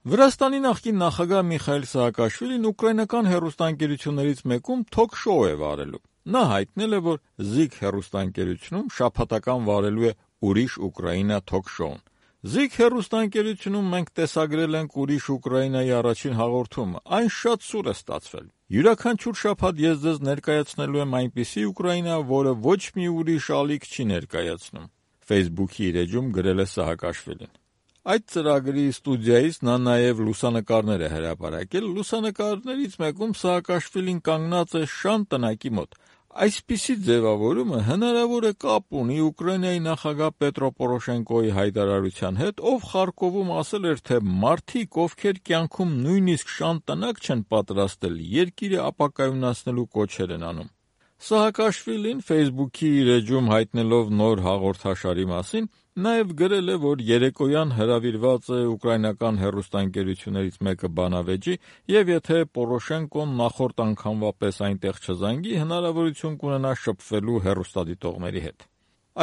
Վրաստանի նախկին նախագահ Միխայիլ Սահակաշվիլին ուկրաինական հեռուստաընկերություններից մեկում թոք-շոու է վարելու։ Նա հայտնել է, որ ZIK հեռուստաընկերությունում շաբաթական վարելու է «Ուրիշ Ուկրաինա» թոք-շոուն։ ZIK հեռուստաընկերությունում մենք տեսագրել ենք «Ուրիշ Ուկրաինայի» առաջին հաղորդումը, այն շատ սուր է ստացվել։ Յուրաքանչյուր շաբաթ ես ձեզ ներկայացնելու եմ այնպիսի Ուկրաինա, որը ոչ մի ուրիշ ալիք չի ներկայացնում, Facebook-ի իր էջում գրել է Սահակաշվիլին։ Այդ ծրագրի ստուդիայից նա նաև լուսանկարներ է հրապարակել։ Լուսանկարներից մեկում Սահակաշվիլին կանգնած է շան տնակի մոտ։ Այսպիսի ձևավորումը հնարավոր է կապ ունի Ուկրաինայի նախագահ Պետրո Պորոշենկոյի հայտարարության հետ, ով Խարկովում ասել էր, թե մարդիկ, ովքեր կյանքում նույնիսկ շան տնակ չեն պատրաստել, երկիրը ապակայունացնելու կոչեր են անում։ Սահակաշվիլին Facebook-ի իր էջում հայտնելով նոր հաղորդաշարի մասին նաև գրել է, որ երեկոյան հրավիրված է ուկրաինական հեռուստաընկերություններից մեկը բանավեճի և եթե Պորոշենկոն նախորդ անգամվա պես այնտեղ չզանգի, հնարավորություն կունենա շփվելու հեռուստադիտողների հետ։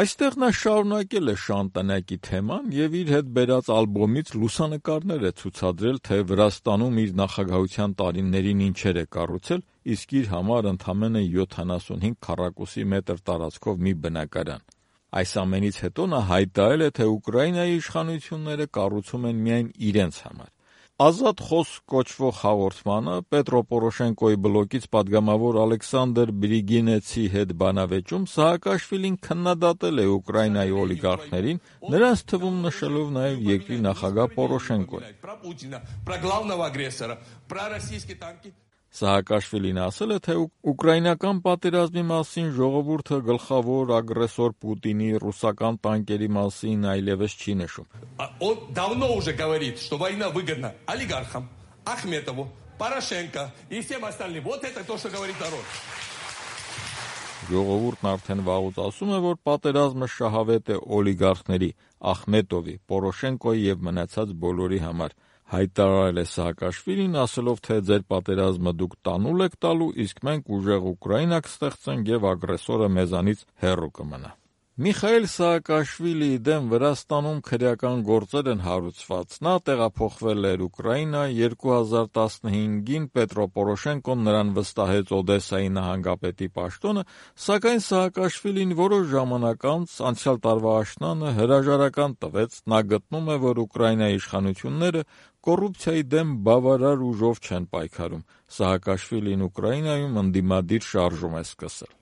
Այստեղ նա շարունակել է շան տնակի թեման և իր հետ բերած ալբոմից լուսանկարներ է ցուցադրել, թե Վրաստանում իր նախագահության տարիներին ինչեր է կառուցել, իսկ իր համար ընդամենը 75 քառակուսի մետր տարածքով մի բնակարան։ Այս ամենից հետո նա հայտարարել է, թե Ուկրաինայի իշխանությունները կառուցում են միայն իրենց համար։ Ազատ խոսք կոչվող հաղորդմանը Պետրո Պորոշենկոյի բլոկից պատգամավոր Ալեքսանդր Բրիգինեցի հետ բանավեճում Սահակաշվիլին քննադատել է Ուկրաինայի օլիգարխներին, նրանց թվում նշելով նաև երկրի նախագահ Պորոշենկոյին։ Սահակաշվիլին ասել է, թե ուկրաինական պատերազմի մասին ժողովուրդը գլխավոր ագրեսոր Պուտինի ռուսական տանկերի մասին այլևս չի նշում։ Давно уже говорит, что война выгодна олигархам, Ахметову, Порошенко и всем остальным. Вот это то, что говорит народ. Ժողովուրդն արդեն վաղուց ասում է, որ պատերազմը շահավետ է օլիգարխների, Ախմետովի, Պորոշենկոյի և մնացած բոլորի համար, հայտարարել է Սահակաշվիլին, ասելով, թե ձեր պատերազմը դուք տանուլ եք տալու, իսկ մենք ուժեղ Ուկրաինա կստեղծենք և ագրեսորը մեզանից հեռու կմնա։ Միխայիլ Սահակաշվիլիի դեմ Վրաստանում քրեական գործեր են հարուցված։ Նա տեղափոխվել էր Ուկրաինա, 2015-ին Պետրո Պորոշենկոն նրան վստահեց Օդեսայի նահանգապետի պաշտոնը, սակայն Սահակաշվիլին որոշ ժամանակ անց անցյալ տարվա աշնանը հրաժարական տվեց։ Նա գտնում է, որ Ուկրաինայի իշխանությունները կոռուպցիայի դեմ բավարար ուժով չեն պայքարում։ Սահակաշվիլին Ուկրաինայում ընդդիմադիր շարժում է սկսել։